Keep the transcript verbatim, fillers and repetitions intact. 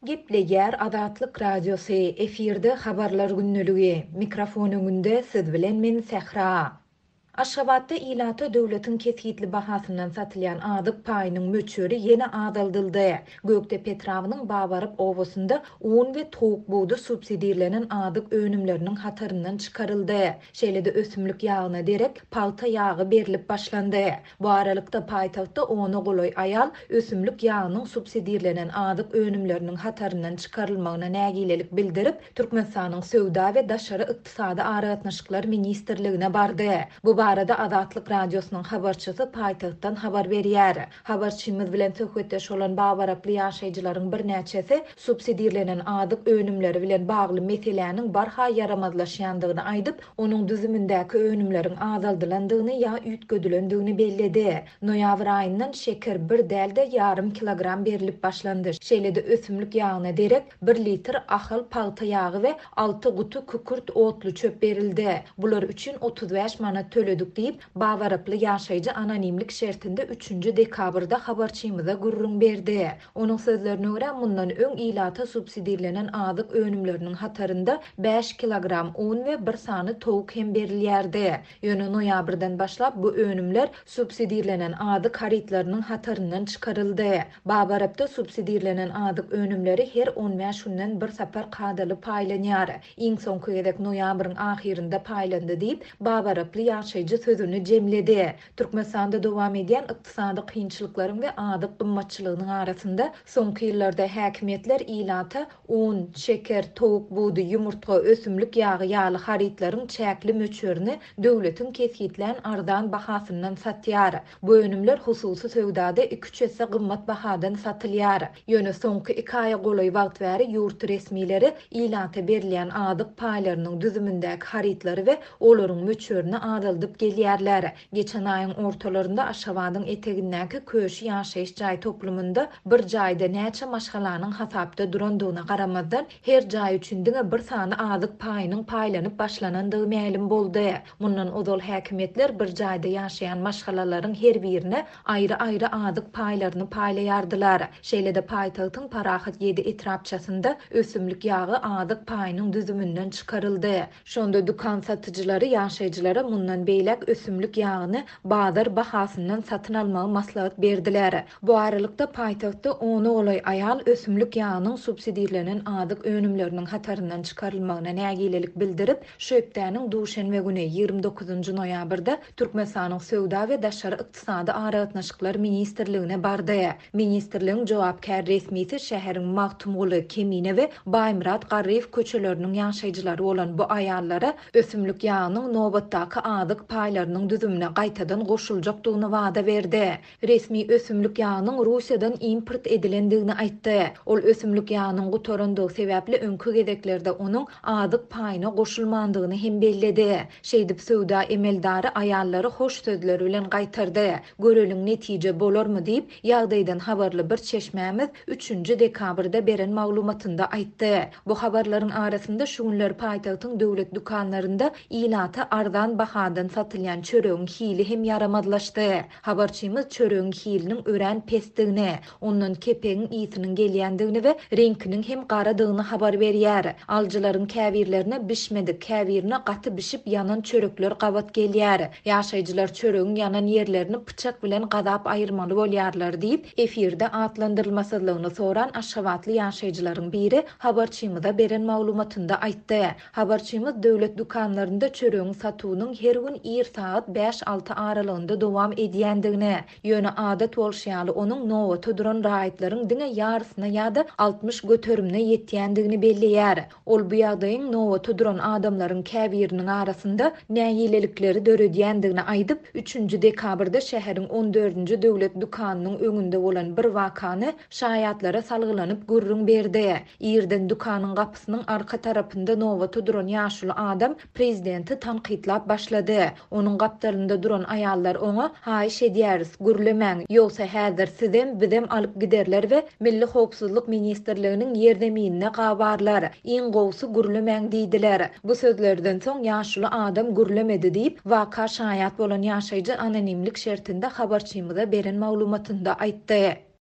Gepleýär Azatlyk Radiosy, efirde Habarlar gündeligi. Mikrofon öňünde siz bilen men Sähra. Aşgabatda ilata döwletiň kesgitli bahasyndan satylýan azyk paýynyň möçberi ýene azaldyldy. Gökdepe etrabynyň Babarap obasynda un we towuk budy subsidirlenen azyk önümleriniň hataryndan çykaryldy. Şeýle-de ösümlik ýagyna derek pagta ýagy berlip başlandy. Bu aralykda paýtagtda ona golaý aýal ösümlik ýagynyň subsidirlenen azyk önümleriniň hataryndan çykarylmagyna nägilelik bildirip, Türkmenistanyň Söwda we daşary ykdysady aragatnaşyklar ministrligine bardy. Bu barada Azatlyk Radiosynyň habarçysy paýtagtdan habar berýär. Habarçymyz bilen söhbetdeş bolan babaraply ýaşaýjylaryň birnäçesi subsidirlenen azyk önümleri bilen bagly meseläniň barha ýaramazlaşýandygyny aýdyp, onuň düzümindäki önümleriň azaldylandygyny ýa üýtgedilendigini belledi. Noýabr aýyndan şeker bir däl-de ýarym kilogram berlip başlandy. Şeýle-de ösümlik ýagyna derek bir litr Ahal pagta ýagy we alty guty kükürt otluçöp berildi. Bular üçin otuz bäş manat töledik diýip, babaraply ýaşaýjy anonimlik şertinde üçünji dekabrda habarçymyza gürrüň berdi. Onuň sözlerine görä, mundan öň ilata subsidirlenen azyk önümleriniň hatarynda bäş kilogram un we bir sany towuk hem berilýärdi. Ýöne noýabrdan başlap bu önümler subsidirlenen azyk harytlarynyň hataryndan çykaryldy. Babarapda subsidirlenen azyk önümleri her on bäş günden bir sapar kadaly paýlanýar. Iň soňky gezek noýabryň ahyrynda paýlandy diýip, babaraply ýaşaýjy sözüni jemledi. Türkmenistanda dowam edýän ykdysady kynçylyklaryň we azyk gymmatçylygynyň arasynda soňky ýyllarda häkimiýetler ilata un, şeker, towuk budy, ýumurtga, ösümlik ýagy ýaly harytlaryň çäkli möçberini döwletiň kesgitlän arzan bahasyndan satýar. Bu önümler hususy söwdada iki-üç esse gymmat bahadan satylýar. Ýöne soňky iki aýa golaý wagt bäri ýurt resmileri ilata berilýän azyk paýlarynyň düzümindäki harytlary we olaryň möçberini azaldyp gelýärler. Geçen aýyň ortalarynda Aşgabadyň etegindäki Köşi ýaşaýyş jaý toplumynda bir jaýda näçe maşgalanyň hasapda durandygyna garamazdan, her jaý üçin diňe bir sany azyk paýynyň paýlanyp başlanandygy mälim boldy. Mundan ozal häkimiýetler bir jaýda ýaşaýan maşgalalaryň her birine aýry-aýry azyk paýlaryny paýlaýardylar. Şeýle-de paýtagtyň Parahat ýedi etrapçasynda ösümlik ýagy azyk paýynyň düzüminden çykaryldy. Şonda dükan satyjylary ýaşaýjylara mundan beýläk ösümlik ýagyny bazar bahasyndan satyn almagy maslahat berdiler. Bu aralykda paýtagtda ona golaý aýal ösümlik ýagynyň subsidirlenen azyk önümleriniň hataryndan çykarylmagyna nägilelik bildirip, şu hepdäniň duşenbe güni ýigrimi dokuzynjy noýabrda Türkmenistanyň Söwda we daşary ykdysady aragatnaşyklar ministrligine bardy. Ministrligiň jogapkär resmisi şäheriň Magtymguly, Kemine we Baýmyrat Garryýew köçeleriniň ýaşaýjylary bolan bu aýallara ösümlik ýagynyň nobatdaky azyk paýlarynyň düzümine gaýtadan goşuljakdygyny wada berdi. Resmi ösümlik ýagynyň Russiýadan import edilendigini aýtdy. Ol ösümlik ýagynyň gutarandygy sebäpli öňki gezeklerde onuň azyk paýyna goşulmandygyny hem belledi. Şeýdip söwda emeldary aýallary hoş sözler bilen gaýtardy. Göreliň netije bolarmy diýip, ýagdaýdan habarly bir çeşmämiz üçünji dekabrda beren maglumatynda aýtdy. Bu habarlaryň arasynda şu günler paýtagtyň döwlet dükanlarynda ilata arzan bahadan satylýan çöregiň hili hem ýaramazlaşdy. Habarçymyz çöregiň hiliniň örän pesdigini, ondan kepegiň ýygynyň gelýändigini we reňkiniň hem garadygyny habar berýär. Alyjylaryň käbirlerine bişmedik, käbirine gaty bişip ýanan çörekler gabat gelýär. Ýaşaýjylar çöregiň ýanan ýerlerini pyçak bilen gazap aýyrmaly bolýarlar diýip, efirde atlandyrylmasyzlygyny soran Aşgabatly ýaşaýjylaryň biri habarçymyza beren maglumatynda aýtdy. Habarçymyz döwlet dükanlarynda çöregiň satuwynyň her gün ir saat bäş-alty aralygynda dowam edýändigini, ýöne adat bolşy ýaly onuň nobata duran raýatlaryň diňe ýarysyna ýa-da altmyş göterimine ýetýändigini belleýär. Ol bu ýagdaýyň nobata duran adamlaryň käbiriniň arasynda nägilelikleri döredýändigini aýdyp, üçünji dekabrda şäheriň on dördünji döwlet dükanynyň öňünde bolan bir wakany şaýatlara salgylanyp gürrüň berdi. Irden dükanyň gapysynyň arka tarapynda nobata duran ýaşuly adam prezidenti tankytlap başlady. Onuň gapdalynda duran aýallar oňa haýyş edýäris, gürlemäň, ýogsa häzir sizem bizem alyp giderler we Milli Howpsuzlyk Ministrliginiň ýerzeminine gabarlar. Iň gowusy gürlemäň diýdiler. Bu sözlerden soň ýaşuly adam gürlemedi diýip, waka şaýat bolan ýaşaýjy anonimlik şertinde habarçymyza beren maglumatynda aýtdy.